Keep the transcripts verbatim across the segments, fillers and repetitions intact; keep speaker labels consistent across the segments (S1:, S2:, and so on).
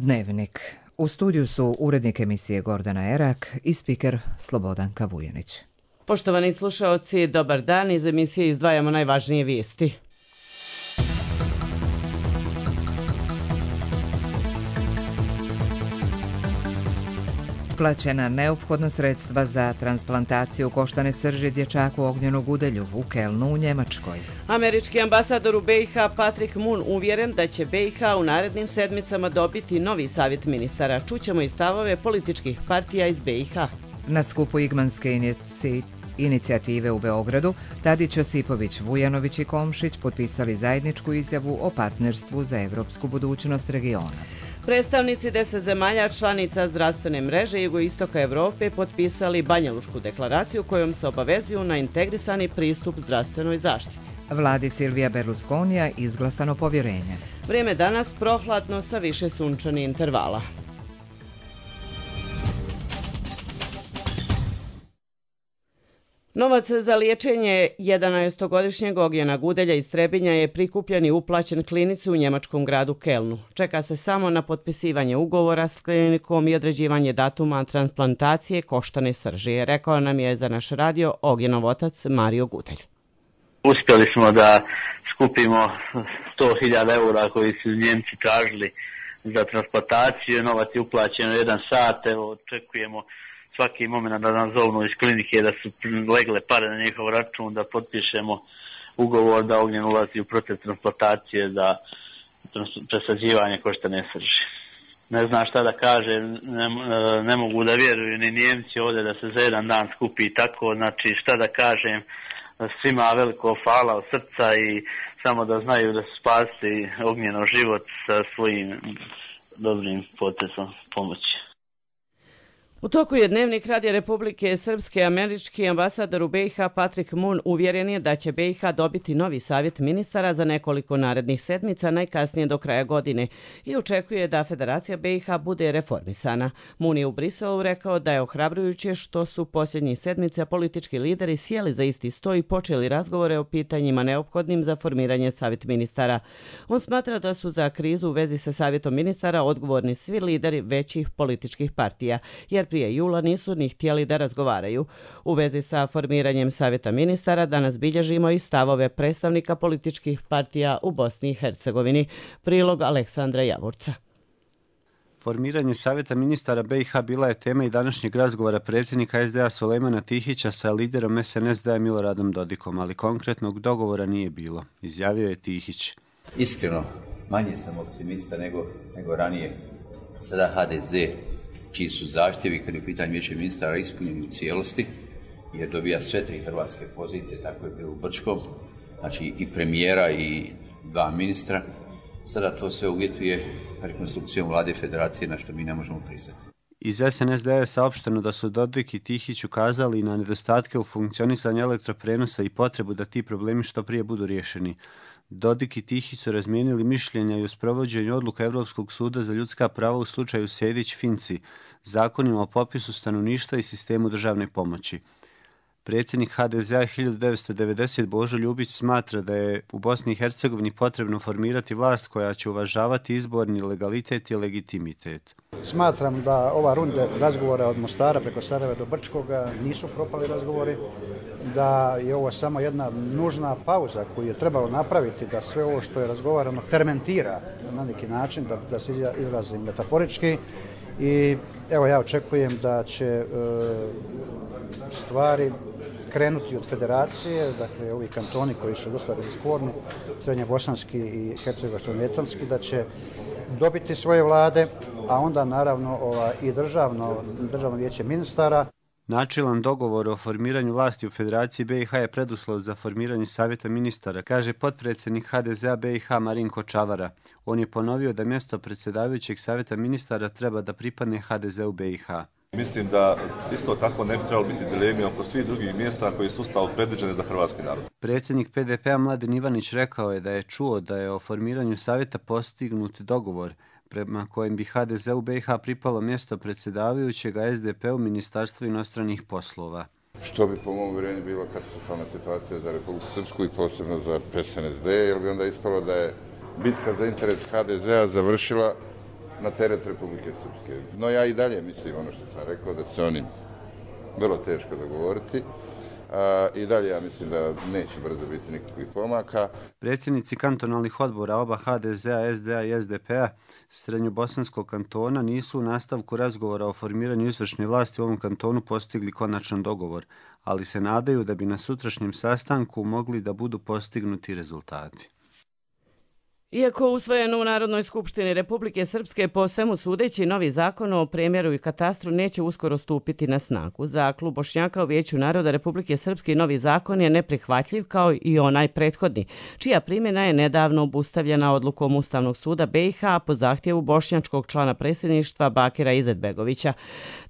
S1: Dnevnik. U studiju su urednik emisije Gordana Erak i spiker Slobodanka Vujanić.
S2: Poštovani slušaoci, dobar dan. Iz emisije izdvajamo najvažnije vijesti.
S1: Plaćena neophodna sredstva za transplantaciju koštane srži dječaku Ognjenu Gudelju u Kelnu u Njemačkoj.
S2: Američki ambasador u B i H Patrick Moon uvjeren da će B i H u narednim sedmicama dobiti novi savjet ministara. Čućemo i stavove političkih partija iz B i H.
S1: Na skupu Igmanske inici... inicijative u Beogradu, Tadić, Josipović, Vujanović i Komšić potpisali zajedničku izjavu o partnerstvu za evropsku budućnost regiona.
S2: Predstavnici deset zemalja članica zdravstvene mreže jugoistoka Evrope potpisali Banjalučku deklaraciju kojom se obavezuju na integrisani pristup zdravstvenoj zaštiti.
S1: Vladi Silvija Berlusconija izglasano povjerenje.
S2: Vrijeme danas prohladno sa više sunčanih intervala. Novac za liječenje jedanaestogodišnjeg Ognjena Gudelja iz Trebinja je prikupljen i uplaćen klinici u njemačkom gradu Kelnu. Čeka se samo na potpisivanje ugovora s klinikom i određivanje datuma transplantacije koštane srži, rekao nam je za naš radio Ognjenov otac Mario Gudelj.
S3: Uspjeli smo da skupimo sto hiljada eura koji su Njemci tražili za transplantaciju. Novac je uplaćen u jedan sat, evo očekujemo svaki moment da nam zovnu iz klinike da su legle pare na njihov račun, da potpišemo ugovor da Ognjen ulazi u proces transplantacije za presađivanje koštane srži. Ne znam šta da kažem, ne, ne mogu da vjeruju ni Njemci ovdje da se za jedan dan skupi tako, znači šta da kažem, svima veliko hvala od srca i samo da znaju da su spasili Ognjenov život sa svojim dobrim potezom pomoći.
S2: U toku je Dnevnik Radija Republike Srpske američki ambasador u B i H Patrick Moon uvjeren je da će B i H dobiti novi savjet ministara za nekoliko narednih sedmica, najkasnije do kraja godine, i očekuje da Federacija B i H bude reformisana. Moon je u Briselu rekao da je ohrabrujuće što su posljednjih sedmica politički lideri sjeli za isti sto i počeli razgovore o pitanjima neophodnim za formiranje savjet ministara. On smatra da su za krizu u vezi sa savjetom ministara odgovorni svi lideri većih političkih partija, jer prije jula nisu ni htjeli da razgovaraju. U vezi sa formiranjem savjeta ministara danas bilježimo i stavove predstavnika političkih partija u Bosni i Hercegovini. Prilog Aleksandra Javorca.
S4: Formiranje savjeta ministara B i H bila je tema i današnjeg razgovora predsjednika S D A Sulejmana Tihića sa liderom S N S D-a Miloradom Dodikom, ali konkretnog dogovora nije bilo, izjavio je Tihić.
S5: Iskreno, manje sam optimista nego, nego ranije. Sada H D Z, čiji su zahtjevi kad je u pitanju vijeća ministara ispunjeni u cijelosti, jer dobija sve tri hrvatske pozicije, tako je bilo u Brčkom, znači i premijera i dva ministra. Sada to sve uvjetuje rekonstrukcijom vlade federacije, na što mi ne možemo pristati.
S4: Iz S N S D-a je saopšteno da su Dodik i Tihić ukazali na nedostatke u funkcionisanju elektroprenosa i potrebu da ti problemi što prije budu riješeni. Dodik i Tihić su razmijenili mišljenja i u sprovođenju odluka Europskog suda za ljudska prava u slučaju Sejdić-Finci, zakonima o popisu stanovništva i sistemu državne pomoći. Predsjednik H D Z-a hiljadu devetsto devedesete Božo Ljubić smatra da je u Bosni i Hercegovini potrebno formirati vlast koja će uvažavati izborni legalitet i legitimitet.
S6: Smatram da ova runda razgovora od Mostara preko Sarajeva do Brčkoga nisu propali razgovori, da je ovo samo jedna nužna pauza koju je trebalo napraviti, da sve ovo što je razgovarano fermentira na neki način, da, da se izrazim metaforički. I evo ja očekujem da će e, stvari krenuti od federacije, dakle ovi kantoni koji su dosta sporni, srednjebosanski i hercegovačko-netanski, da će dobiti svoje vlade, a onda naravno ova, i državno, državno vijeće ministara.
S4: Načilan dogovor o formiranju vlasti u Federaciji B i H je preduslov za formiranje savjeta ministara, kaže potpredsjednik H D Z-a B i H Marinko Čavara. On je ponovio da mjesto predsjedavajućeg savjeta ministara treba da pripadne H D Z-u B i H.
S7: Mislim da isto tako ne bi trebalo biti dilemi oko svih drugih mjesta koji su Ustavom predviđene za hrvatski narod.
S4: Predsjednik P D P-a Mladen Ivanić rekao je da je čuo da je o formiranju savjeta postignut dogovor prema kojem bi H D Z-u B i H pripalo mjesto predsjedavajućeg, a S D P-u Ministarstvo inostranih poslova.
S8: Što bi po mom uvjerenju bila katastrofalna situacija za Republiku Srpsku i posebno za S N S D, jer bi onda ispalo da je bitka za interes H D Z-a završila na teret Republike Srpske. No ja i dalje mislim ono što sam rekao, da će oni vrlo teško dogovoriti. I dalje ja mislim da neće brzo biti nikakvih pomaka.
S4: Predsjednici kantonalnih odbora oba ha de zea, es de a i es de pe a Srednjobosanskog kantona nisu u nastavku razgovora o formiranju izvršne vlasti u ovom kantonu postigli konačan dogovor, ali se nadaju da bi na sutrašnjem sastanku mogli da budu postignuti rezultati.
S2: Iako usvojen u Narodnoj skupštini Republike Srpske, po svemu sudeći novi zakon o premjeru i katastru neće uskoro stupiti na snagu. Za klub Bošnjaka u Vijeću naroda Republike Srpske novi zakon je neprihvatljiv kao i onaj prethodni, čija primjena je nedavno obustavljena odlukom Ustavnog suda be i ha po zahtjevu bošnjačkog člana predsjedništva Bakira Izetbegovića.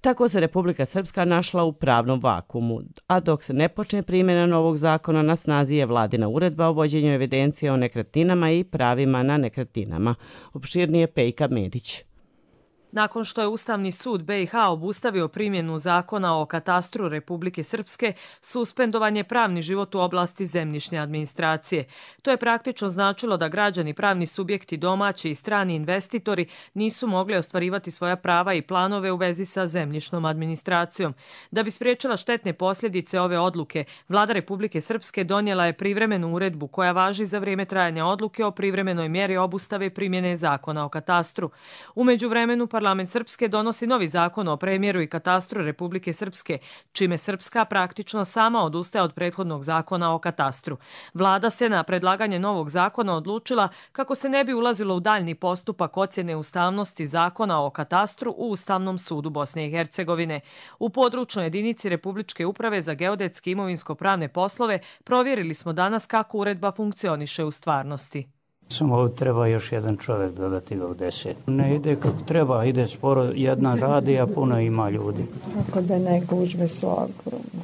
S2: Tako se Republika Srpska našla u pravnom vakumu, a dok se ne počne primjena novog zakona, na snazi je vladina uredba o vođenju evidencije o nekretninama i pravima na nekretninama. Opširnije Pejka Medić.
S9: Nakon što je Ustavni sud be i ha obustavio primjenu zakona o katastru Republike Srpske, suspendovan je pravni život u oblasti zemljišne administracije. To je praktično značilo da građani, pravni subjekti, domaći i strani investitori nisu mogli ostvarivati svoja prava i planove u vezi sa zemljišnom administracijom. Da bi spriječila štetne posljedice ove odluke, Vlada Republike Srpske donijela je privremenu uredbu koja važi za vrijeme trajanja odluke o privremenoj mjeri obustave primjene zakona o katastru. U međuvremenu Parlament Srpske donosi novi zakon o premjeru i katastru Republike Srpske, čime Srpska praktično sama odustaje od prethodnog zakona o katastru. Vlada se na predlaganje novog zakona odlučila kako se ne bi ulazilo u daljni postupak ocjene ustavnosti zakona o katastru u Ustavnom sudu Bosne i Hercegovine. U područnoj jedinici Republičke uprave za geodetske imovinsko-pravne poslove provjerili smo danas kako uredba funkcioniše u stvarnosti.
S10: Samo treba još jedan čovjek dodati ga u deset. Ne ide kako treba, ide sporo, jedna radi, a puno ima ljudi.
S11: Kako da ne gužbe su ogromne.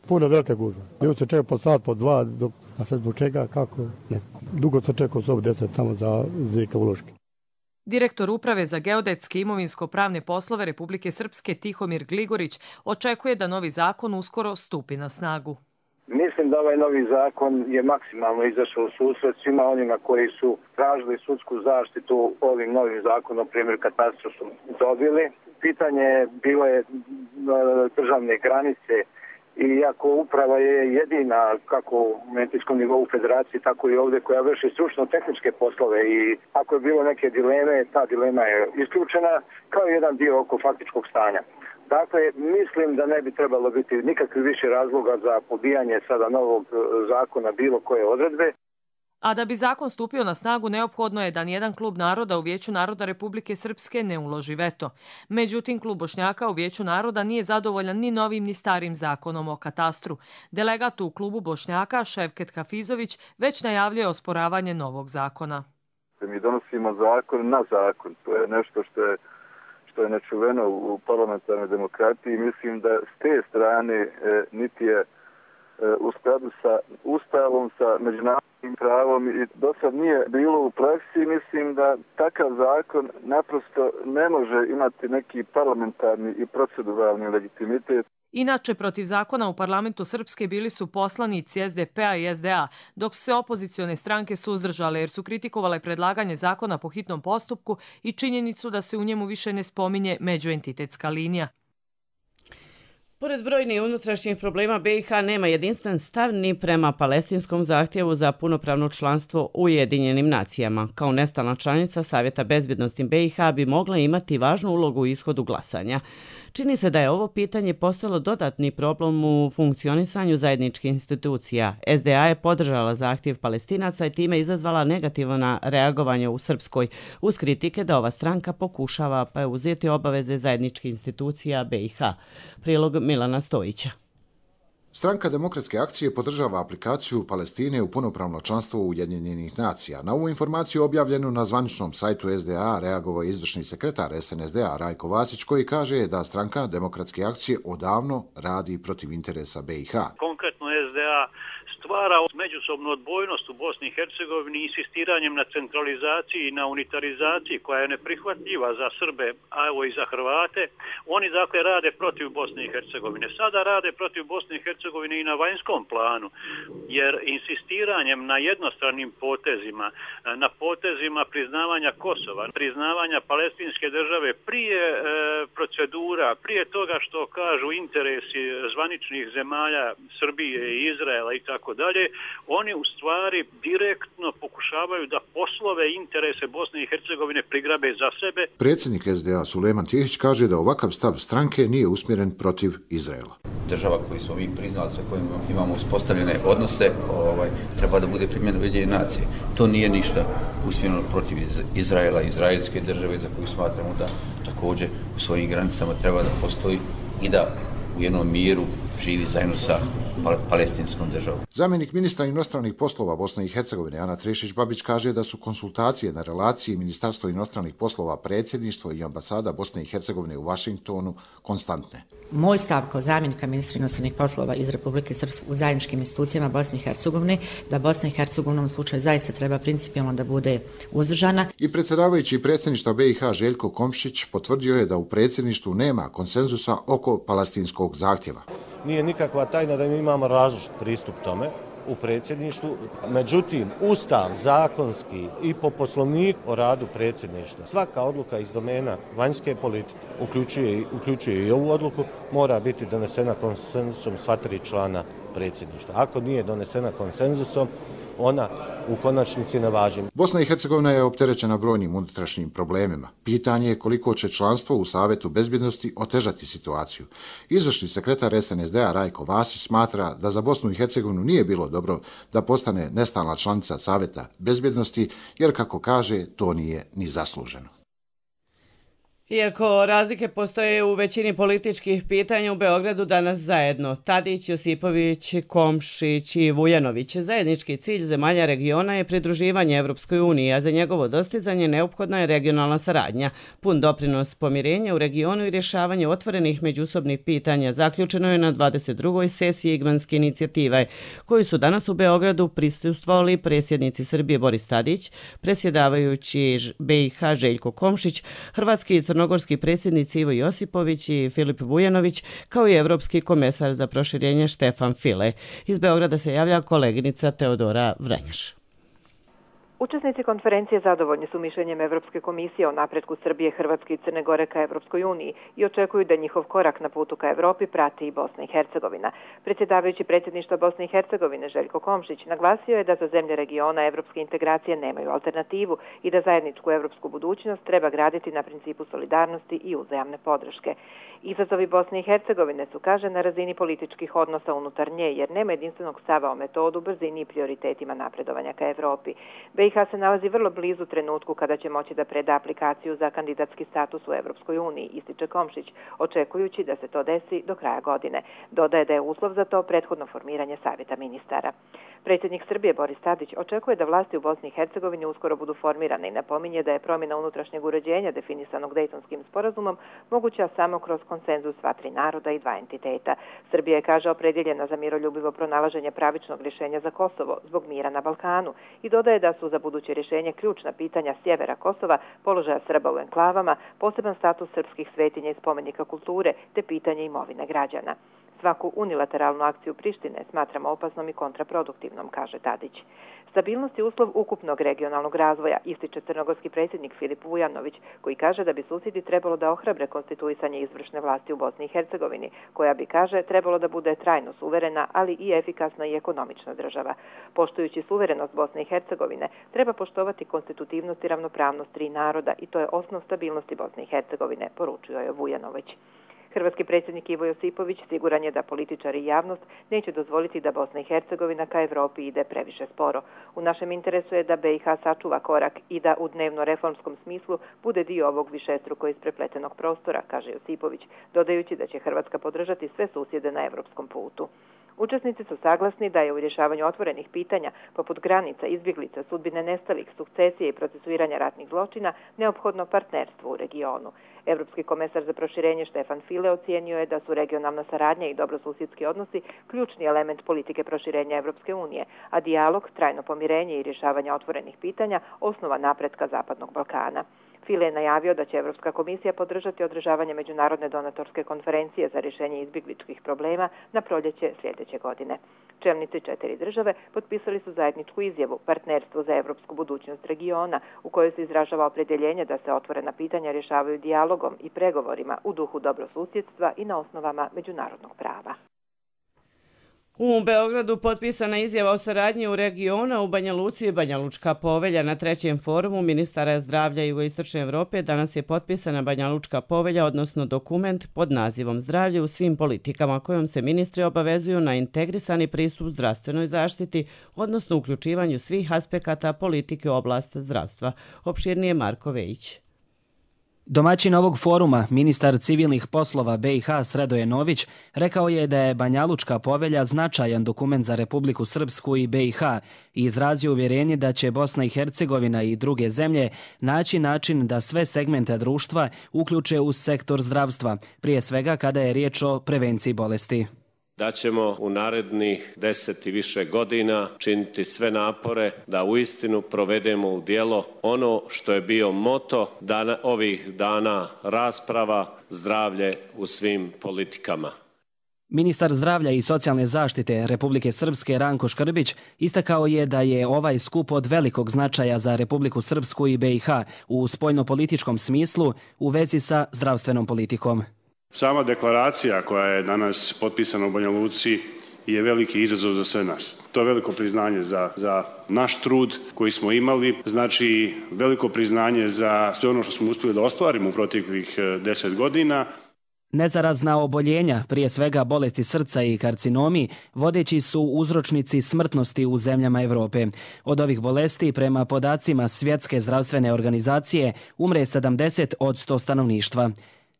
S12: Puno velike gužbe. Ljudi se čeka po sat, po dva, dok, a sad zbog čega, kako, ne. Dugo se čeka u sobu deset tamo za Zika uloške.
S9: Direktor Uprave za geodetske imovinsko-pravne poslove Republike Srpske Tihomir Gligorić očekuje da novi zakon uskoro stupi na snagu.
S13: Mislim da ovaj novi zakon je maksimalno izašao u susret svima onima koji su tražili sudsku zaštitu ovim novim zakonom o premjeru katastru su dobili. Pitanje bilo je državne granice i iako uprava je jedina kako u mentalskom nivou federacije, tako i ovdje koja vrši stručno-tehničke poslove i ako je bilo neke dileme, ta dilema je isključena kao jedan dio oko faktičkog stanja. Dakle, mislim da ne bi trebalo biti nikakvi više razloga za pobijanje sada novog zakona bilo koje odredbe.
S9: A da bi zakon stupio na snagu, neophodno je da nijedan klub naroda u Vijeću naroda Republike Srpske ne uloži veto. Međutim, klub Bošnjaka u Vijeću naroda nije zadovoljan ni novim ni starim zakonom o katastru. Delegat u klubu Bošnjaka, Ševket Hafizović, već najavljuje osporavanje novog zakona.
S14: Mi donosimo zakon na zakon. To je nešto što je što je nečuveno u parlamentarnoj demokratiji. Mislim da s te strane e, niti je e, u skladu sa Ustavom, sa međunarodnim pravom i do sad nije bilo u praksi. Mislim da takav zakon naprosto ne može imati neki parlamentarni i proceduralni legitimitet.
S9: Inače, protiv zakona u parlamentu Srpske bili su poslanici es de pe a i es de a, dok su se opozicione stranke suzdržale jer su kritikovale predlaganje zakona po hitnom postupku i činjenicu da se u njemu više ne spominje međuentitetska linija.
S2: Pored brojnih unutrašnjih problema, be i ha nema jedinstven stav ni prema palestinskom zahtjevu za punopravno članstvo u Ujedinjenim nacijama. Kao nestalna članica Savjeta bezbjednosti be i ha bi mogla imati važnu ulogu u ishodu glasanja. Čini se da je ovo pitanje postalo dodatni problem u funkcionisanju zajedničkih institucija. es de a je podržala zahtjev Palestinaca i time izazvala negativno reagovanje u Srpskoj, uz kritike da ova stranka pokušava preuzeti obaveze zajedničkih institucija be i ha. Prilog Milana Stojića.
S15: Stranka demokratske akcije podržava aplikaciju Palestine u punopravno članstvo Ujedinjenih nacija. Na ovu informaciju objavljenu na zvaničnom sajtu es de a reagovao je izvršni sekretar es en es de a Rajko Vasić koji kaže da stranka demokratske akcije odavno radi protiv interesa be i ha.
S16: Konkretno es de a stvara međusobnu odbojnost u Bosni i Hercegovini insistiranjem na centralizaciji i na unitarizaciji koja je neprihvatljiva za Srbe, a evo i za Hrvate. Oni dakle rade protiv Bosne i Hercegovine. Sada rade protiv Bosne i Hercegovine i na vanjskom planu, jer insistiranjem na jednostranim potezima, na potezima priznavanja Kosova, priznavanja palestinske države prije e, procedura, prije toga što kažu interesi zvaničnih zemalja Srbije i Izraela i tako dalje, oni u stvari direktno pokušavaju da poslove interese Bosne i Hercegovine prigrabe za sebe.
S15: Predsjednik S D A Sulejman Tihić kaže da ovakav stav stranke nije usmjeren protiv Izraela.
S5: Država koju smo mi priznali, sa kojim imamo uspostavljene odnose, ovaj, treba da bude primjena Ujedinjene nacije. To nije ništa usmjereno protiv Izraela, izraelske države za koju smatramo da također u svojim granicama treba da postoji i da u jednom miru živi zajedno sa palestinskom državom.
S15: Zamjenik ministra inostranih poslova Bosne i Hercegovine Ana Trešić-Babić kaže da su konsultacije na relaciji Ministarstvo inostranih poslova, predsjedništvo i ambasada Bosne i Hercegovine u Vašingtonu konstantne.
S17: Moj stav kao zamjenika ministra inostranih poslova iz Republike Srpske u zajedničkim institucijama Bosne i Hercegovine da Bosna i Hercegovina u slučaju zaista treba principijalno da bude uzdržana.
S15: I predsjedavajući predsjedništva B i H Željko Komšić potvrdio je da u predsjedništvu nema konsenzusa oko palestinskog zahtjeva.
S18: Nije nikakva tajna da mi imamo različit pristup tome u predsjedništvu. Međutim, ustav, zakonski i po poslovniku o radu predsjedništva, svaka odluka iz domena vanjske politike, uključuje, uključuje i ovu odluku, mora biti donesena konsenzusom sva tri člana predsjedništva. Ako nije donesena konsenzusom, ona u konačnici ne važi.
S15: Bosna i Hercegovina je opterećena brojnim unutrašnjim problemima. Pitanje je koliko će članstvo u Savetu bezbjednosti otežati situaciju. Izvršni sekretar S N S D A Rajko Vasić smatra da za Bosnu i Hercegovinu nije bilo dobro da postane nestalna članica Saveta bezbjednosti, jer kako kaže, to nije ni zasluženo.
S2: Iako razlike postoje u većini političkih pitanja u Beogradu danas zajedno, Tadić, Josipović, Komšić i Vujanović, zajednički cilj zemalja regiona je pridruživanje Evropskoj uniji, a za njegovo dostizanje neophodna je regionalna saradnja. Pun doprinos pomirenja u regionu i rješavanje otvorenih međusobnih pitanja zaključeno je na dvadeset drugoj sesiji Igmanske inicijative, koju su danas u Beogradu prisustvovali predsjednici Srbije Boris Tadić, predsjedavajući B i H Željko Komšić, hrvatski i crnogorski predsjednici Ivo Josipović i Filip Vujanović, kao i evropski komesar za proširenje Štefan File. Iz Beograda se javlja koleginica Teodora Vrenjaš.
S19: Učesnici konferencije zadovoljni su mišljenjem Evropske komisije o napretku Srbije, Hrvatske i Crne Gore ka Evropskoj uniji i očekuju da njihov korak na putu ka Evropi prati i Bosna i Hercegovina. Predsjedavajući predsjedništva Bosne i Hercegovine Željko Komšić naglasio je da za zemlje regiona evropske integracije nemaju alternativu i da zajedničku evropsku budućnost treba graditi na principu solidarnosti i uzajamne podrške. Izazovi Bosne i Hercegovine su, kaže, na razini političkih odnosa unutar nje, jer nema jedinstvenog stava o metodu, brzini i prioritetima napredovanja ka Evropi. B i H se nalazi vrlo blizu trenutku kada će moći da preda aplikaciju za kandidatski status u Evropskoj uniji, ističe Komšić, očekujući da se to desi do kraja godine. Dodaje da je uslov za to prethodno formiranje savjeta ministara. Predsjednik Srbije Boris Tadić očekuje da vlasti u Bosni i Hercegovini uskoro budu formirane i napominje da je promjena unutrašnjeg uređenja definisanog Dejtonskim sporazumom moguća samo kroz konsenzus sva tri naroda i dva entiteta. Srbija je, kaže, opredjeljena za miroljubivo pronalaženje pravičnog rješenja za Kosovo zbog mira na Balkanu i dodaje da su za buduće rješenje ključna pitanja sjevera Kosova, položaja Srba u enklavama, poseban status srpskih svetinja i spomenika kulture te pitanje imovine građana. Svaku unilateralnu akciju Prištine smatramo opasnom i kontraproduktivnom, kaže Tadić. Stabilnost je uslov ukupnog regionalnog razvoja, ističe crnogorski predsjednik Filip Vujanović, koji kaže da bi susjedi trebalo da ohrabre konstituisanje izvršne vlasti u Bosni i Hercegovini, koja bi, kaže, trebalo da bude trajno suverena, ali i efikasna i ekonomična država. Poštujući suverenost Bosne i Hercegovine, treba poštovati konstitutivnost i ravnopravnost tri naroda i to je osnov stabilnosti Bosne i Hercegovine, poručio je Vujanović. Hrvatski predsjednik Ivo Josipović siguran je da političari i javnost neće dozvoliti da Bosna i Hercegovina ka Evropi ide previše sporo. U našem interesu je da B i H sačuva korak i da u dnevno reformskom smislu bude dio ovog višestruko isprepletenog prostora, kaže Josipović, dodajući da će Hrvatska podržati sve susjede na evropskom putu. Učesnici su saglasni da je u rješavanju otvorenih pitanja, poput granica, izbjeglica, sudbine nestalih, sukcesije i procesuiranja ratnih zločina, neophodno partnerstvo u regionu. Evropski komesar za proširenje Štefan File ocijenio je da su regionalna saradnja i dobrosusjedski odnosi ključni element politike proširenja Evropske unije, a dijalog, trajno pomirenje i rješavanje otvorenih pitanja osnova napretka Zapadnog Balkana. File je najavio da će Evropska komisija podržati održavanje međunarodne donatorske konferencije za rješenje izbjegličkih problema na proljeće sljedeće godine. Čelnici četiri države potpisali su zajedničku izjavu Partnerstvo za evropsku budućnost regiona, u kojoj se izražava opredjeljenje da se otvorena pitanja rješavaju dijalogom i pregovorima u duhu dobrosusjedstva i na osnovama međunarodnog prava.
S2: U Beogradu potpisana izjava o saradnji u regiona u Banja Luci i Banja Lučka povelja. Na trećem forumu ministara zdravlja Jugoistočne Evrope danas je potpisana Banja Lučka povelja, odnosno dokument pod nazivom Zdravlje u svim politikama, kojom se ministri obavezuju na integrisani pristup zdravstvenoj zaštiti, odnosno uključivanju svih aspekata politike u oblast zdravstva. Opširnije Marko Vejić.
S20: Domaćin ovog foruma, ministar civilnih poslova B i H Sredoje Nović, rekao je da je Banja Lučka povelja značajan dokument za Republiku Srpsku i B i H i izrazio uvjerenje da će Bosna i Hercegovina i druge zemlje naći način da sve segmente društva uključe u sektor zdravstva, prije svega kada je riječ o prevenciji bolesti.
S21: Da ćemo u narednih deset i više godina činiti sve napore da uistinu provedemo u djelo ono što je bio moto dana, ovih dana rasprava, zdravlje u svim politikama.
S20: Ministar zdravlja i socijalne zaštite Republike Srpske Ranko Škrbić istakao je da je ovaj skup od velikog značaja za Republiku Srpsku i B i H u spoljnopolitičkom smislu u vezi sa zdravstvenom politikom.
S22: Sama deklaracija koja je danas potpisana u Banja Luci je veliki izazov za sve nas. To je veliko priznanje za, za naš trud koji smo imali, znači veliko priznanje za sve ono što smo uspjeli da ostvarimo u proteklih deset godina.
S20: Nezarazna oboljenja, prije svega bolesti srca i karcinomi, vodeći su uzročnici smrtnosti u zemljama Evrope. Od ovih bolesti, prema podacima Svjetske zdravstvene organizacije, umre sedamdeset od sto stanovništva.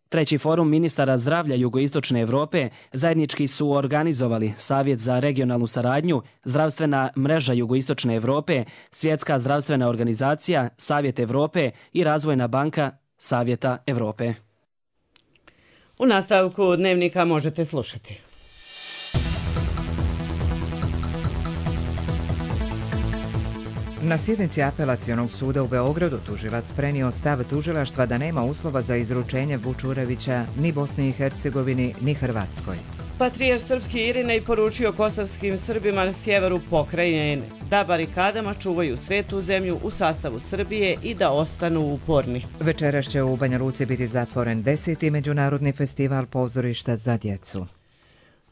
S20: Treći forum ministara zdravlja Jugoistočne Evrope zajednički su organizovali Savjet za regionalnu saradnju, Zdravstvena mreža Jugoistočne Evrope, Svjetska zdravstvena organizacija, Savjet Evrope i Razvojna banka Savjeta Evrope.
S2: U nastavku dnevnika možete slušati.
S1: Na sjednici apelacionog suda u Beogradu tužilac prenio stav tužilaštva da nema uslova za izručenje Vučurevića ni Bosni i Hercegovini ni Hrvatskoj.
S2: Patrijarh srpski Irinej poručio kosovskim Srbima na sjeveru pokrajine da barikadama čuvaju svetu zemlju u sastavu Srbije i da ostanu uporni.
S1: Večeras će u Banja Luci biti zatvoren deseti međunarodni festival pozorišta za djecu.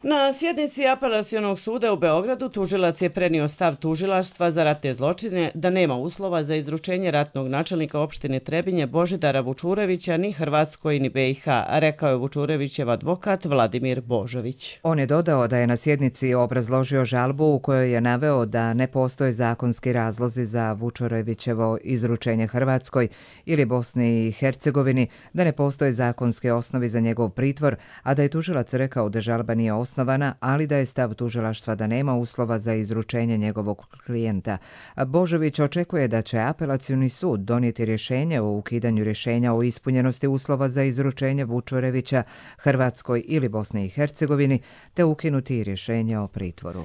S2: Na sjednici apelacionog suda u Beogradu tužilac je prenio stav tužilaštva za ratne zločine da nema uslova za izručenje ratnog načelnika opštine Trebinje Božidara Vučurevića ni Hrvatskoj ni B i H, rekao je Vučurevićev advokat Vladimir Božović.
S1: On je dodao da je na sjednici obrazložio žalbu u kojoj je naveo da ne postoje zakonski razlozi za Vučurevićevo izručenje Hrvatskoj ili Bosni i Hercegovini, da ne postoje zakonske osnovi za njegov pritvor, a da je tužilac rekao da žalba nije osnovna, ali da je stav tužilaštva da nema uslova za izručenje njegovog klijenta. Božović očekuje da će apelacioni sud donijeti rješenje o ukidanju rješenja o ispunjenosti uslova za izručenje Vučurevića Hrvatskoj ili Bosni i Hercegovini, te ukinuti rješenje o pritvoru.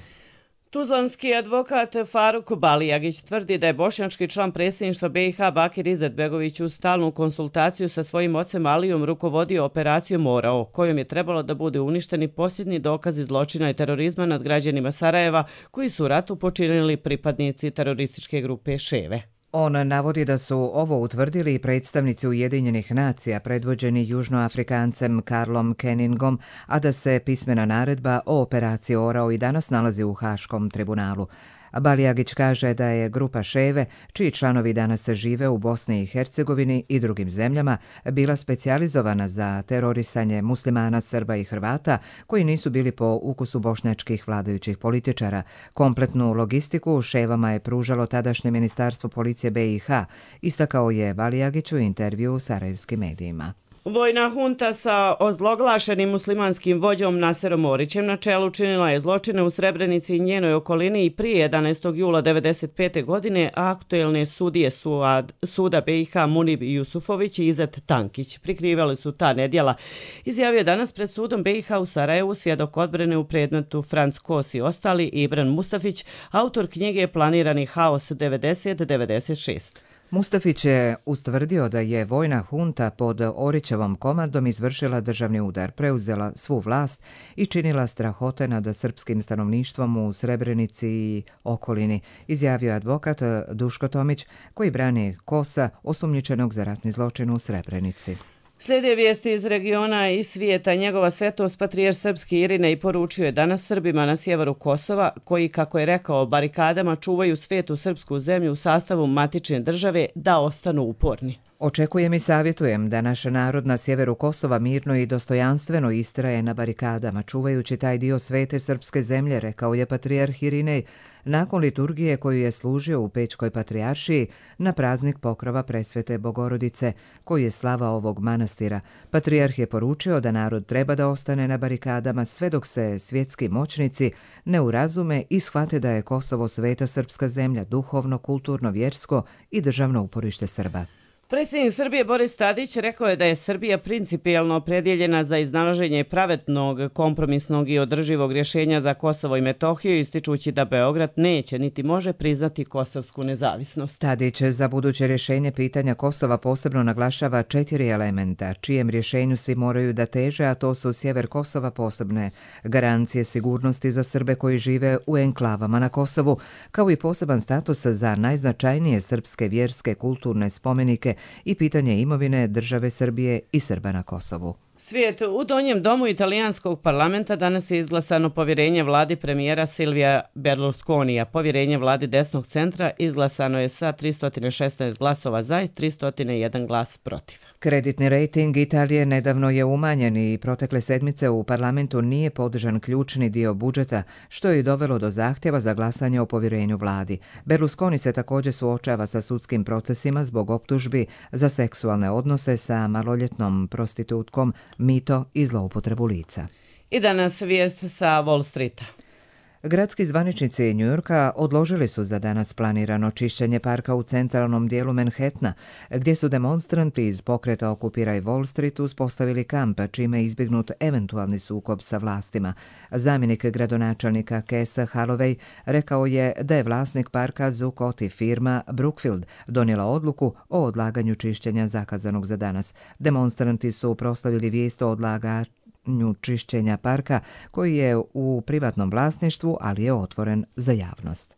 S2: Tuzlanski advokat Faruk Balijagić tvrdi da je bošnjački član predsjedništva B i H Bakir Izetbegović u stalnu konsultaciju sa svojim ocem Alijom rukovodio operacijom Morao, kojom je trebalo da bude uništeni posljednji dokazi zločina i terorizma nad građanima Sarajeva koji su u ratu počinili pripadnici terorističke grupe Ševe.
S1: On navodi da su ovo utvrdili i predstavnici Ujedinjenih nacija predvođeni Južnoafrikancem Karlom Kenningom, a da se pismena naredba o operaciji Orao i danas nalazi u Haškom tribunalu. Balijagić kaže da je grupa Ševe, čiji članovi danas žive u Bosni i Hercegovini i drugim zemljama, bila specijalizovana za terorisanje muslimana, Srba i Hrvata koji nisu bili po ukusu bošnjačkih vladajućih političara. Kompletnu logistiku Ševama je pružalo tadašnje ministarstvo policije B i H, istakao je Balijagić u intervju u sarajevskim medijima.
S2: Vojna hunta sa ozloglašenim muslimanskim vođom Naserom Orićem na čelu činila je zločine u Srebrenici i njenoj okolini i prije jedanaestog jula devedeset pete. godine, a aktuelne sudije Suad, suda B i H Munib Jusufović i Izet Tankić prikrivali su ta nedjela. Izjavio je danas pred sudom B i H u Sarajevu svjedok odbrane u predmetu Franc Kos i ostali Ibran Mustafić, autor knjige Planirani haos devedeset devedeset šest.
S1: Mustafić je ustvrdio da je vojna hunta pod Orićevom komandom izvršila državni udar, preuzela svu vlast i činila strahote nad srpskim stanovništvom u Srebrenici i okolini, izjavio advokat Duško Tomić, koji brani Kosa, osumnjičenog za ratni zločin u Srebrenici.
S2: Slijede vijesti iz regiona i svijeta. Njegova svetost patrijarh srpski Irinej poručio je danas Srbima na sjeveru Kosova, koji, kako je rekao, barikadama čuvaju svetu srpsku zemlju u sastavu matične države, da ostanu uporni.
S1: Očekujem i savjetujem da naš narod na sjeveru Kosova mirno i dostojanstveno istraje na barikadama, čuvajući taj dio svete srpske zemlje, rekao je patrijarh Irinej nakon liturgije koju je služio u Pećkoj patrijaršiji na praznik pokrova Presvete Bogorodice, koji je slava ovog manastira. Patrijarh je poručio da narod treba da ostane na barikadama sve dok se svjetski moćnici ne urazume i shvate da je Kosovo sveta srpska zemlja, duhovno, kulturno, vjersko i državno uporište Srba.
S2: Predsjednik Srbije Boris Tadić rekao je da je Srbija principijelno opredjeljena za iznalaženje pravednog, kompromisnog i održivog rješenja za Kosovo i Metohiju, ističući da Beograd neće niti može priznati kosovsku nezavisnost.
S1: Tadić za buduće rješenje pitanja Kosova posebno naglašava četiri elementa, čijem rješenju svi moraju da teže, a to su sjever Kosova posebne garancije sigurnosti za Srbe koji žive u enklavama na Kosovu, kao i poseban status za najznačajnije srpske vjerske kulturne spomenike i pitanje imovine države Srbije i Srba na Kosovu.
S2: Svijet, u donjem domu italijanskog parlamenta danas je izglasano povjerenje vladi premijera Silvija Berlusconija. Povjerenje vladi desnog centra izglasano je sa tristo šesnaest glasova za i tristo jedan glas protiv.
S1: Kreditni rejting Italije nedavno je umanjen i protekle sedmice u parlamentu nije podržan ključni dio budžeta, što je i dovelo do zahtjeva za glasanje o povjerenju vladi. Berlusconi se također suočava sa sudskim procesima zbog optužbi za seksualne odnose sa maloljetnom prostitutkom, mito i zloupotrebu lica.
S2: I danas vijest sa Wall Streeta.
S1: Gradski zvaničnici Njujorka odložili su za danas planirano čišćenje parka u centralnom dijelu Manhattana, gdje su demonstranti iz pokreta Okupiraj Wall Street uspostavili kamp, čime je izbjegnut eventualni sukob sa vlastima. Zamjenik gradonačelnika Kesa Holloway rekao je da je vlasnik parka Zuccotti firma Brookfield donijela odluku o odlaganju čišćenja zakazanog za danas. Demonstranti su proslavili vijest o odlaganju čišćenja parka koji je u privatnom vlasništvu, ali je otvoren za javnost.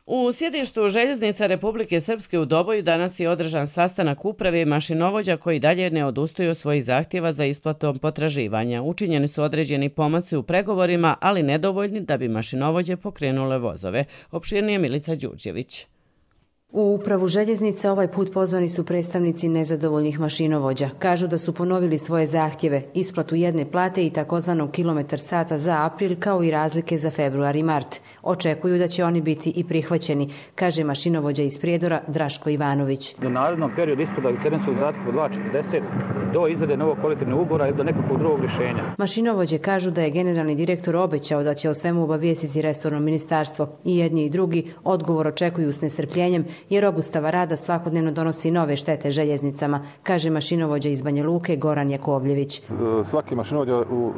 S2: U sjedištu željeznica Republike Srpske u Doboju danas je održan sastanak uprave i mašinovođa koji dalje ne odustaju od svojih zahtjeva za isplatom potraživanja. Učinjeni su određeni pomaci u pregovorima, ali nedovoljni da bi mašinovođe pokrenule vozove. Opširnije Milica Đurđević.
S3: U upravu željeznice ovaj put pozvani su predstavnici nezadovoljnih mašinovođa. Kažu da su ponovili svoje zahtjeve, isplatu jedne plate i takozvanog kilometar sata za april, kao i razlike za februar i mart. Očekuju da će oni biti i prihvaćeni, kaže mašinovođa iz Prijedora Draško Ivanović.
S6: U narednom periodu ispodaju terenskog zahtjeva od dva četrdeset do izrade novog kolektivnog ugovora ili do nekakvog drugog rješenja.
S3: Mašinovođe kažu da je generalni direktor obećao da će o svemu obavijestiti resorno ministarstvo. I jedni i drugi odgovor očekuju s nestrpljenjem, jer obustava rada svakodnevno donosi nove štete željeznicama, kaže mašinovođa iz Banja Luke Goran Jakovljević.
S23: Svaki mašinovođa u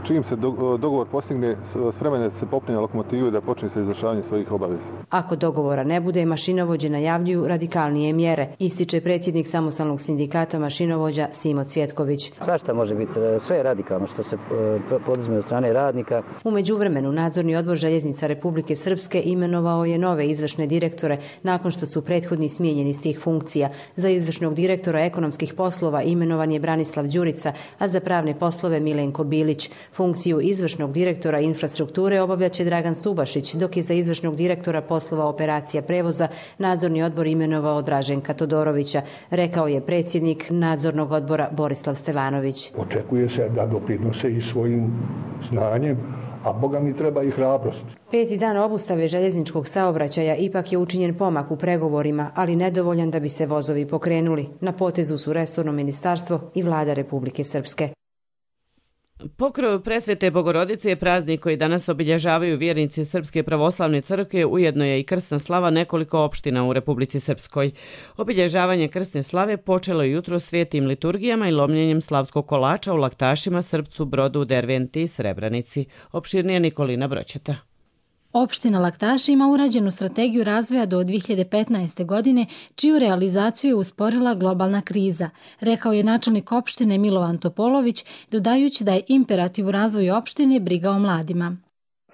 S23: čijim se dogovor postigne spreman je da se popne na lokomotivu i da počne sa izvršavanjem svojih obaveza.
S3: Ako dogovora ne bude, mašinovođe najavljuju radikalnije mjere, ističe predsjednik samostalnog sindikata mašinovođa Simo Cvjetković.
S6: Svašta može biti, sve je radikalno što se poduzme od strane radnika.
S3: U međuvremenu nadzorni odbor željeznica Republike Srpske imenovao je nove izvršne direktore nakon što su prethodni smijenjeni iz tih funkcija. Za izvršnog direktora ekonomskih poslova imenovan je Branislav Đurica, a za pravne poslove Milenko Bilić. Funkciju izvršnog direktora infrastrukture obavljaće Dragan Subašić, dok je za izvršnog direktora poslova operacija prevoza nadzorni odbor imenovao Draženka Todorovića, rekao je predsjednik nadzornog odbora Borislav Stevanović.
S24: Očekuje se da doprinose i svojim znanjem,
S4: a Boga mi treba i hrabrost.
S3: Peti dan obustave željezničkog saobraćaja ipak je učinjen pomak u pregovorima, ali nedovoljan da bi se vozovi pokrenuli. Na potezu su resorno ministarstvo i vlada Republike Srpske.
S2: Pokrov Presvete Bogorodice je praznik koji danas obilježavaju vjernici Srpske pravoslavne crkve, ujedno je i krsna slava nekoliko opština u Republici Srpskoj. Obilježavanje krsne slave počelo je jutro svetim liturgijama i lomljenjem slavskog kolača u Laktašima, Srpcu, Brodu, Derventi i Srebrenici. Opširnije Nikolina Broćeta.
S7: Opština Laktaši ima urađenu strategiju razvoja do dvije hiljade petnaeste. godine, čiju realizaciju je usporila globalna kriza, rekao je načelnik opštine Milovan Topolović, dodajući da je imperativ u razvoju opštine briga o mladima.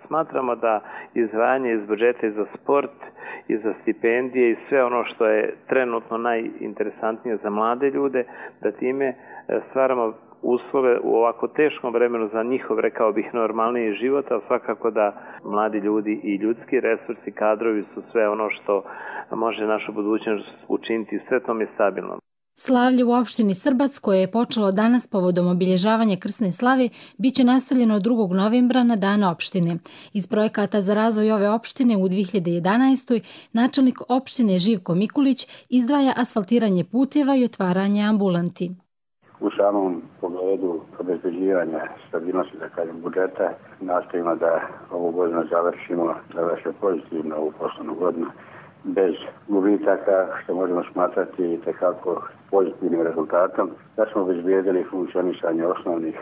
S8: Smatramo da izdvajanje iz budžeta za sport i za stipendije i sve ono što je trenutno najinteresantnije za mlade ljude, da time stvaramo uslove u ovako teškom vremenu za njihov, rekao bih, normalniji život, a svakako da mladi ljudi i ljudski resursi, kadrovi su sve ono što može našu budućnost učiniti sretnom i stabilnom.
S7: Slavlje u opštini Srbac, koje je počelo danas povodom obilježavanja krsne slave, bit će nastavljeno drugog novembra na dan opštine. Iz projekata za razvoj ove opštine u dvije hiljade jedanaestoj. načelnik opštine Živko Mikulić izdvaja asfaltiranje puteva i otvaranje ambulanti.
S24: U samom pogledu obezbeđivanja stabilnosti, da kažem, budžeta, nastojimo da ovu godinu završimo, završimo pozitivno ovu poslovnu godinu, bez gubitaka, što možemo smatrati tekako pozitivnim rezultatom, da smo obezbijedili funkcionisanje osnovnih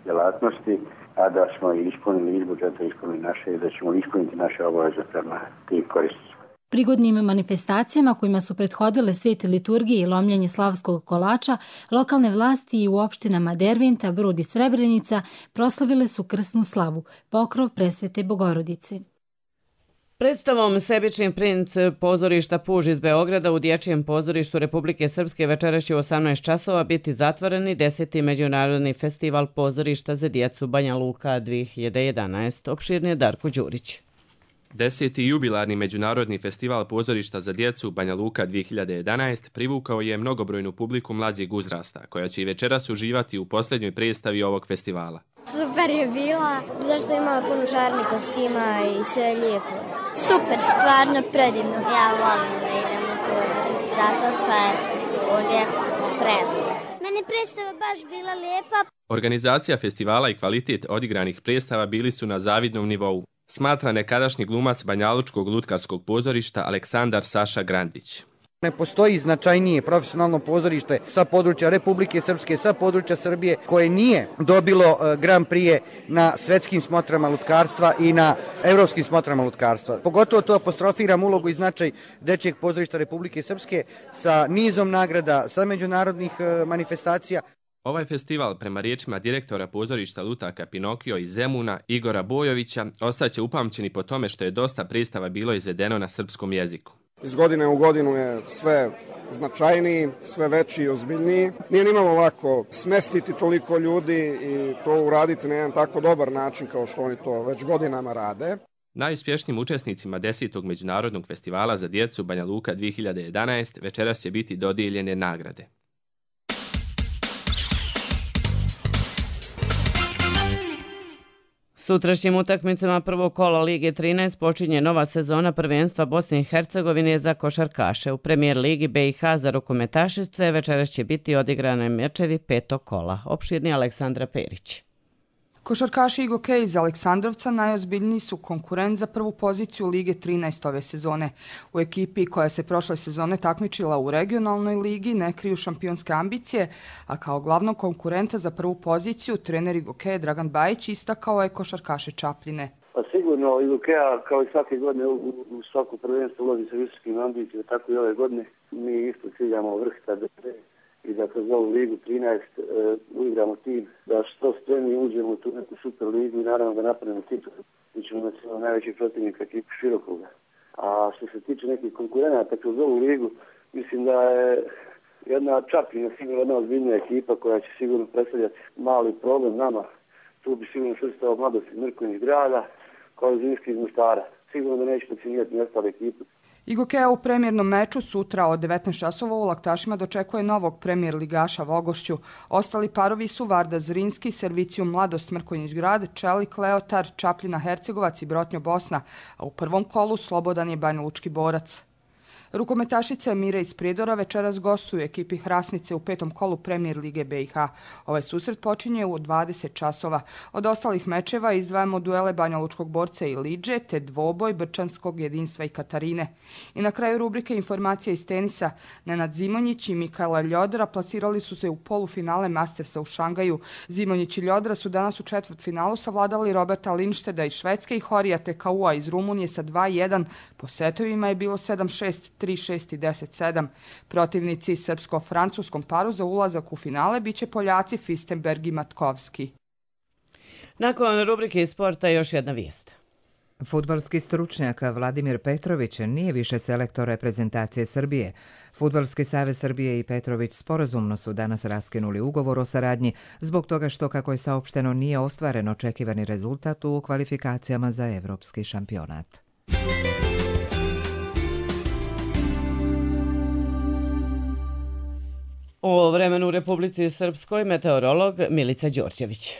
S24: djelatnosti, a da smo i ispunili iz budžeta, ispunili naše i da ćemo ispuniti naše obaveze prema tim korisnicima.
S7: Prigodnim manifestacijama kojima su prethodile svete liturgije i lomljenje slavskog kolača, lokalne vlasti i u opštinama Derventa, Brod i Srebrenica proslavile su krsnu slavu, pokrov Presvete Bogorodice.
S2: Predstavom Sebični princ pozorišta Puž iz Beograda u Dječjem pozorištu Republike Srpske večeras će u osamnaest časova biti zatvoreni deseti međunarodni festival pozorišta za djecu Banja Luka dvije hiljade jedanaeste. Opširnije Darko Đurić.
S25: Deseti jubilarni međunarodni festival pozorišta za djecu Banja Luka dvije hiljade jedanaeste privukao je mnogobrojnu publiku mlađeg uzrasta, koja će i večeras uživati u posljednjoj predstavi ovog festivala.
S26: Super je bila, zašto imala puno čarnih kostima i sve je lijepo. Super, stvarno predivno. Ja volim da idem u pozorište, zato što je ovdje premije. Meni predstava baš bila lijepa.
S25: Organizacija festivala i kvalitet odigranih predstava bili su na zavidnom nivou, smatra nekadašnji glumac Banjalučkog lutkarskog pozorišta Aleksandar Saša Grandić.
S27: Ne postoji značajnije profesionalno pozorište sa područja Republike Srpske, sa područja Srbije, koje nije dobilo Grand Prix na svetskim smotrama lutkarstva i na evropskim smotrama lutkarstva. Pogotovo to apostrofiram ulogu i značaj Dečijeg pozorišta Republike Srpske sa nizom nagrada, sa međunarodnih manifestacija.
S25: Ovaj festival, prema riječima direktora pozorišta lutaka Pinokio iz Zemuna, Igora Bojovića, ostaće upamćeni po tome što je dosta predstava bilo izvedeno na srpskom jeziku.
S28: Iz godine u godinu je sve značajniji, sve veći i ozbiljniji. Nije nimalo lako smestiti toliko ljudi i to uraditi na jedan tako dobar način kao što oni to već godinama rade.
S25: Najuspješnijim učesnicima desetog međunarodnog festivala za djecu Banja Luka dvije hiljade jedanaeste večeras će biti dodijeljene nagrade.
S2: Sutrašnjim utakmicama prvog kola Lige trinaest počinje nova sezona prvenstva Bosne i Hercegovine za košarkaše. U premijer Ligi B i H za rukometašice večeras će biti odigrane mečevi petog kola. Opširni Aleksandra Perić.
S29: Košarkaši Igokej iz Aleksandrovca najozbiljniji su konkurent za prvu poziciju Lige trinaest ove sezone. U ekipi koja se prošle sezone takmičila u regionalnoj ligi ne kriju šampionske ambicije, a kao glavnog konkurenta za prvu poziciju trener Igokeja Dragan Bajić istakao je košarkaše Čapljine.
S30: Pa sigurno Igokeja kao i svake godine u, u svaku prvenstvo ulazi sa visokim ambicijama, tako i ove godine. Mi isto ciljamo vrh tada i da kroz ovu Ligu trinaest e, uigramo tim, da što spremni uđemo u tu neku super ligu i naravno da napravimo titul. Mi ćemo imati svoj najveći protivnik ekipu Širokruga. A što se tiče nekih konkurenata kroz ovu ligu, mislim da je jedna Čapljina sigurno jedna ozbiljnija ekipa koja će sigurno predstavljati mali problem nama. Tu bi sigurno svrstao Mladost iz Mrkonjić grada, kao i Zimski iz Mostara. Sigurno da neće podcijenjati ni ostale ekipe.
S29: Igokeja u premijernom meču sutra od devetnaest časova u Laktašima dočekuje novog premijer ligaša Vogošću. Ostali parovi su Varda Zrinski, Servicijum Mladost Mrkonjić Grad, Čelik Leotar, Čapljina Hercegovac i Brotnjo Bosna, a u prvom kolu slobodan je Banja Lučki borac. Rukometašice Mire iz Prijedora večeras gostuju ekipi Hrasnice u petom kolu Premijer Lige B i H. Ovaj susret počinje u dvadeset časova. Od ostalih mečeva izdvajamo duele Banja Lučkog borca i Lidže, te dvoboj Brčanskog jedinstva i Katarine. I na kraju rubrike informacija iz tenisa. Nenad Zimonjić i Mikaela Ljodra plasirali su se u polufinale Mastersa u Šangaju. Zimonjić i Ljodra su danas u četvrtfinalu savladali Roberta Lindšteda iz Švedske i Horija Tekaua iz Rumunije sa dva jedan. Po setovima je bilo sedam šest, tri šest i deset sedam. Protivnici srpsko-francuskom paru za ulazak u finale biće Poljaci Fistenberg i Matkovski.
S2: Nakon rubrike sporta još jedna vijest.
S1: Fudbalski stručnjak Vladimir Petrović nije više selektor reprezentacije Srbije. Fudbalski savez Srbije i Petrović sporazumno su danas raskinuli ugovor o saradnji zbog toga što, kako je saopšteno, nije ostvaren očekivani rezultat u kvalifikacijama za evropski šampionat.
S2: O vremenu u Republici Srpskoj meteorolog Milica Đorđević.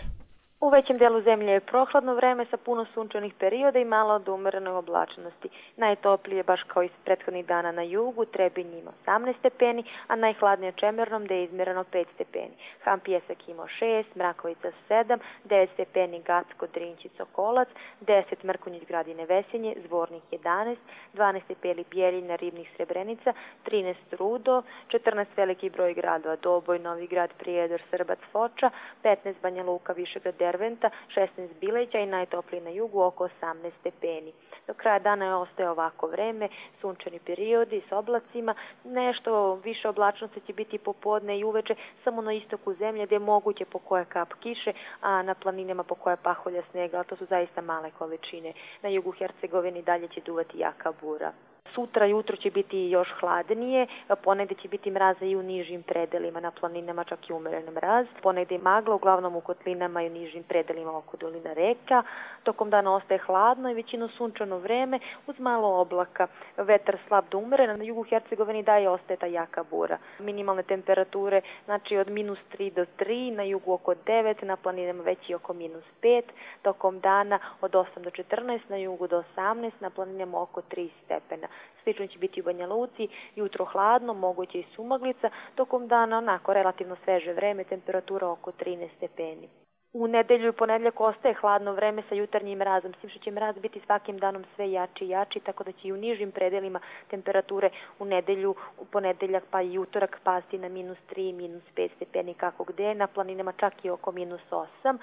S5: U većem delu zemlje je prohladno vreme sa puno sunčanih perioda i malo od umerene oblačnosti. Najtoplije, baš kao i prethodnih dana na jugu, Trebinj ima osamnaest stepeni, a najhladnije Čemernom gde je izmjereno pet stepeni. Ham Pjesak imao šest, Mrakovica sedam, devet stepeni Gacko, Drinć i Sokolac, deset Mrkonjić Grad i Nevesinje, Zvornik jedanaest, dvanaest stepeni Bjeljina, Ribnik, Srebrenica, trinaest Rudo, četrnaest veliki broj gradova Doboj, Novi Grad, Prijedor, Srbac, Foča, petnaest Banja Luka, Višegrad, Derventa, šesnaest Bileća i najtopliji na jugu oko osamnaest stepeni. Do kraja dana je ostaje ovako vreme, sunčani periodi s oblacima, nešto više oblačnosti će biti popodne i uveče samo na istoku zemlje gdje je moguće po koja kap kiše, a na planinama po koja paholja snega, ali to su zaista male količine. Na jugu Hercegovini dalje će duvati jaka bura. Sutra jutro će biti još hladnije, ponegdje će biti mraza i u nižim predelima, na planinama čak i umeren mraz. Ponegdje magla, uglavnom u kotlinama i u nižim predelima oko dolina reka. Tokom dana ostaje hladno i većino sunčano vreme uz malo oblaka. Vetar slab do umeren, na jugu Hercegovini daje ostaje ta jaka bura. Minimalne temperature, znači od minus tri do tri, na jugu oko devet, na planinama već i oko minus pet. Tokom dana od osam do četrnaest, na jugu do osamnaest, na planinama oko tri stepena. Slično će biti u Banja Luci, jutro hladno, moguće i sumaglica, tokom dana onako relativno sveže vreme, temperatura oko trinaest stepeni. U nedelju i ponedjeljak ostaje hladno vreme sa jutarnjim mrazom, s tim što će mraz biti svakim danom sve jači i jači, tako da će i u nižim predelima temperature u nedelju, u ponedjeljak pa i utorak pasti na minus tri, minus pet stepeni kako gde, na planinama čak i oko minus osam.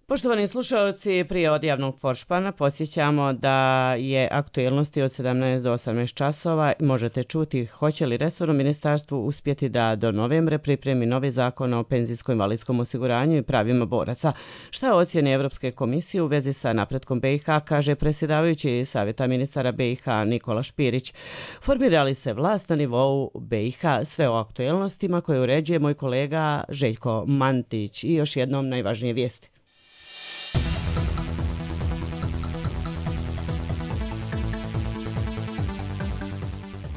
S2: Poštovani slušalci, prije odjavnog foršpana podsjećamo da je aktuelnosti od sedamnaest do osamnaest časova. Možete čuti hoće li resorno ministarstvo uspjeti da do novembra pripremi novi zakon o penzijsko-invalidskom osiguranju i pravima boraca. Šta je ocjene Evropske komisije u vezi sa napretkom B i H, kaže predsjedavajući savjeta ministara B i H Nikola Špirić. Formira li se vlast na nivou B i H? Sve o aktuelnostima koje uređuje moj kolega Željko Mantić. I još jednom najvažnije vijesti.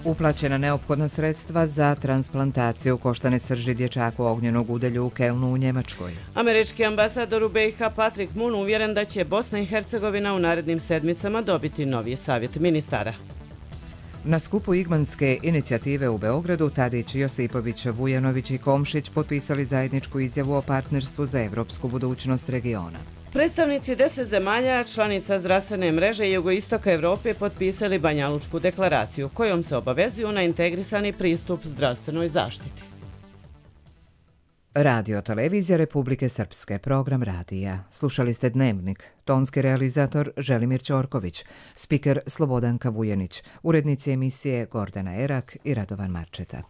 S1: Uplaćena neophodna sredstva za transplantaciju koštane srži dječaku ognjenog udelju u Kelnu u Njemačkoj.
S2: Američki ambasador u B i H Patrick Moon uvjeren da će Bosna i Hercegovina u narednim sedmicama dobiti novi savjet ministara.
S1: Na skupu Igmanske inicijative u Beogradu Tadić, Josipović, Vujanović i Komšić potpisali zajedničku izjavu o partnerstvu za evropsku budućnost regiona.
S2: Predstavnici deset zemalja, članica zdravstvene mreže jugoistoka Evrope, potpisali Banja Lučku deklaraciju, kojom se obavezuju na integrisani pristup zdravstvenoj zaštiti.
S1: Radio Televizija Republike Srpske, program radija. Slušali ste Dnevnik, tonski realizator Želimir Ćorković, spiker Slobodanka Vujanić, urednici emisije Gordana Erak i Radovan Marčeta.